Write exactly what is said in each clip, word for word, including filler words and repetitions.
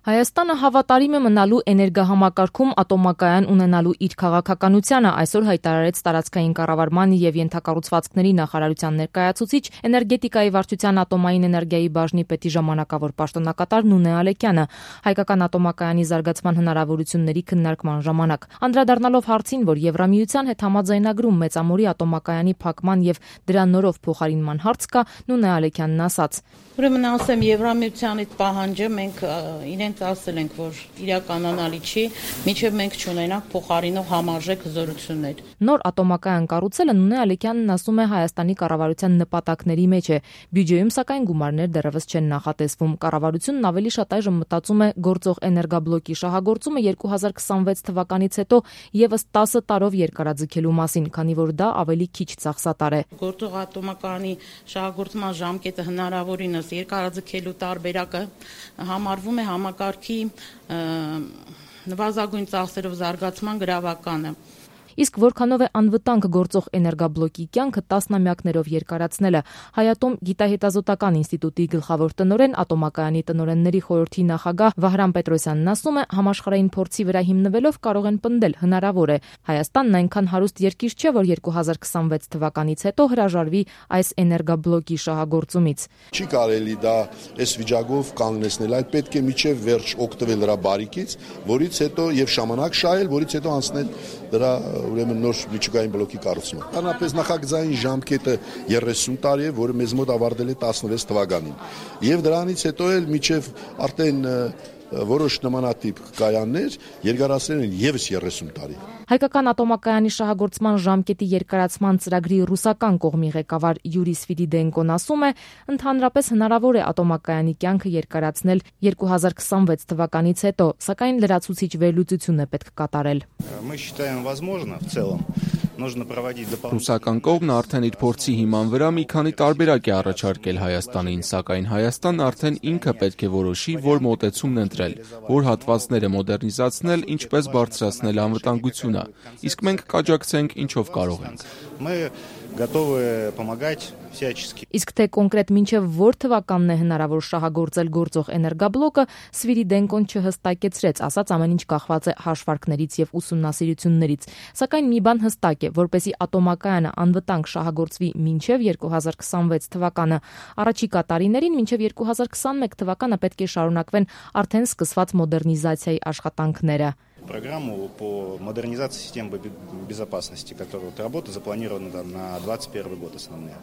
Հայաստանը հավատարիմ է մնալու էներգահամակարգում ատոմակայան ունենալու իր քաղաքականությանը, այսօր հայտարարեց տարածքային կառավարման և ենթակառուցվածքների նախարարության ներկայացուցիչ էներգետիկայի վարչության ատոմային էներգիայի բաժնի պետի ժամանակավոր պաշտոնակատար Նունե Ալեքյանը հայկական ատոմակայանի զարգացման հնարավորությունների քննարկման ժամանակ։ Անդրադառնալով հարցին, որ Եվրամիության հետ համաձայնագրում մեծամորի ատոմակայանի փակման և դրա նորով փոխարինման հարց կա, Նունե Ալեքյանն ասաց. Ուրեմն ասեմ, Եվրամիության այդ պահանջը մենք իրենց ասել ենք, որ իրականանալի չի, մինչև մենք չունենանք փոխարինող համարժեք հզորություններ։ Նոր ատոմակայան կառուցելը Նունե Ալեքյանն ասում է Հայաստանի կառավարության նպատակների մեջ է։ Բյուջեում սակայն գումարներ դեռևս չեն նախատեսվում։ Կառավարությունն ավելի շատ այժմ մտածում է գործող էներգաբլոկի շահագործումը երկու հազար քսանվեց թվականից հետո ևս տասը տարով երկարաձգելու մասին, քանի որ դա ավելի քիչ ծախսատար է։ Գործող ատոմակայանի շահագործման ժամկետը հնարավորինս երկարաձգելու տարբերակը համարվում է համակարգի նվազագույն ծախսերով զարգացման գրավականը։ Իսկ որքանով է անվտանգ գործող էներգաբլոկի կյանքը տասնամյակներով երկարացնելը, Հայատոմ գիտահետազոտական ինստիտուտի գլխավոր տնօրեն, ատոմակայանի տնօրենների խորհրդի նախագահ Վահրամ Պետրոսյանն ասում է, համաշխարհային փորձի վրա հիմնվելով կարող են պնդել, հնարավոր է։ Հայաստանն այնքան հարուստ երկիր չէ, որ երկու հազար քսանվեց թվականից հետո հրաժարվի այս էներգաբլոկի շահագործումից։ Չի կարելի դա այս վիճակով կանգնեցնել, այլ պետք է միջև վերջ օգտվել դրա բարիկից, որից հետո եւ ժամանակ շահել, որից հետո անցնել դրա ուրեմն նոր միջուկային բլոկի կառուցումը։ Անապես նախագծային ժամկետը երեսուն տարի է, որը մեզ մոտ ավարտել է տասնվեց թվականին։ Եվ դրանից հետո էլ միջև արդեն որոշ նմանատիպ կայաններ երկարացրել են ևս երեսուն տարի։ Հայկական ատոմակայանի շահագործման ժամկետի երկարացման ծրագրի ռուսական կողմի ղեկավար Յուրի Սվիրիդենկոն ասում է, ընդհանրապես հնարավոր է ատոմակայանի կյանքը երկարացնել երկու հազար քսանվեց թվականից հետո, սակայն լրացուցիչ վերլուծություն է պետք կատարել։ Ռուսական կողմն արդեն իր փորձի հիման վրա մի քանի տարբերակ է առաջարկել Հայաստանին, սակայն Հայաստանն արդեն ինքը պետք է որոշի, որ մոտեցումն ընտրել, որ հատվածները մոդեռնիզացնել, ինչպես բարձրացնել անվտանգությունը, իսկ մենք կաջակցենք ինչով կարող ենք։ Իսկ թե կոնկրետ մինչև որ թվականն է հնարավոր շահագործել գործող էներգաբլոկը, Սվիրիդենկոն չհստակեցրեց, ասաց ամեն ինչ կախված է հաշվարկներից եւ ուսումնասիրություններից, սակայն մի բան հստակ է, որպեսզի ատոմակայանը անվտանգ շահագործվի մինչև երկու հազար քսանվեց թվականը, առաջիկա տարիներին մինչև երկու հազար քսանմեկ թվականը պետք է շարունակվեն արդեն սկսված մոդեռնիզացիայի աշխատանքները։ Программу по модернизации систем безопасности, которая работа запланирована на двадцать первый год основные.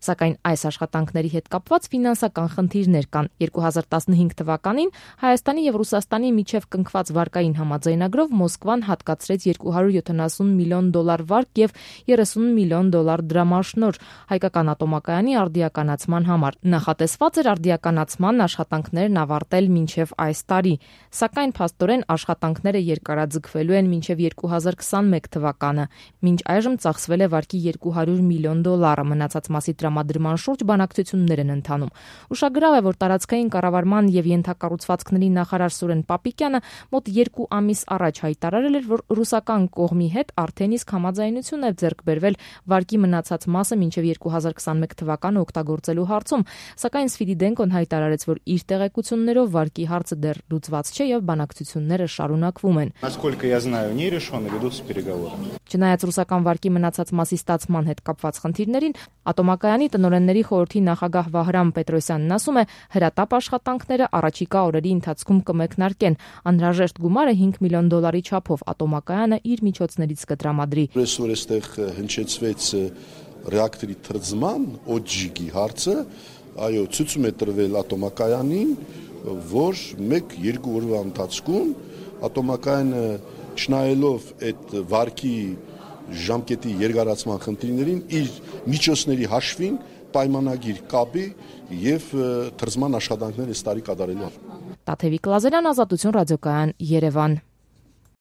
Սակայն այս աշխատանքների հետ կապված ֆինանսական խնդիրներ կան։ երկու հազար տասնհինգ թվականին Հայաստանի եւ Ռուսաստանի միջև կնքված վարկային համաձայնագրով Մոսկվան հատկացրեց երկու հարյուր յոթանասուն միլիոն դոլար վարկ եւ երեսուն միլիոն դոլար դրամաշնոր հայկական ատոմակայանի արդիականացման համար։ Նախատեսված էր արդիականացման աշխատանքներն ավարտել մինչև այս տարի, սակայն փաստորեն աշխատանքները երկարաձգվելու են մինչև երկու հազար քսանմեկ թվականը։ Մինչ այժմ ծախսվել է վարկի երկու հարյուր միլիոն դոլարը, մնացած մասի տրամադրման շուրջ բանակցություններ են ընթանում։ Ուշագրավ է, որ տարածքային կառավարման եւ ենթակառուցվածքների նախարար Սուրեն Պապիկյանը մոտ երկու ամիս առաջ հայտարարել էր, որ ռուսական կողմի հետ արդեն իսկ համաձայնություն է ձեռք բերվել վարկի մնացած մասը մինչև երկու հազար քսանմեկ թվականը օգտագործելու հարցում, սակայն Սվիրիդենկոն հայտարարեց, որ իր տեղեկություններով վարկի հարցը դեռ լուծված չէ եւ բանակցությունները շարունակվում են։ Насколько я знаю, не решены, ведутся переговоры. Չնայած ռուսական վարկի մնացած մասի ստացման հետ կապված խնդիրներին, ատոմակայանի տնօրենների խորհրդի նախագահ Վահրամ Պետրոսյանն ասում է, հրատապ աշխատանքները առաջիկա օրերի ընթացքում կմեկնարկեն։ Անհրաժեշտ գումարը հինգ միլիոն դոլարի չափով ատոմակայանը իր միջոցներից կտրամադրի։ Այսօր էստեղ հնչեցվեց ռեակտորի թրծման օջիգի հարցը, այո, ցույցում է տրվել ատոմակայանին, որ մեկ-երկու օրվա ընթացքում ատոմակայանը չնայելով այդ վարկի ժամկետի երկարացման խնդիրներին իր միջոցների հաշվին պայմանագիր կապի եւ թրծման աշխատանքներ այս տարի կատարելու։ Տաթևիկ Լազարյան, Ազատություն ռադիոկայան, Երևան։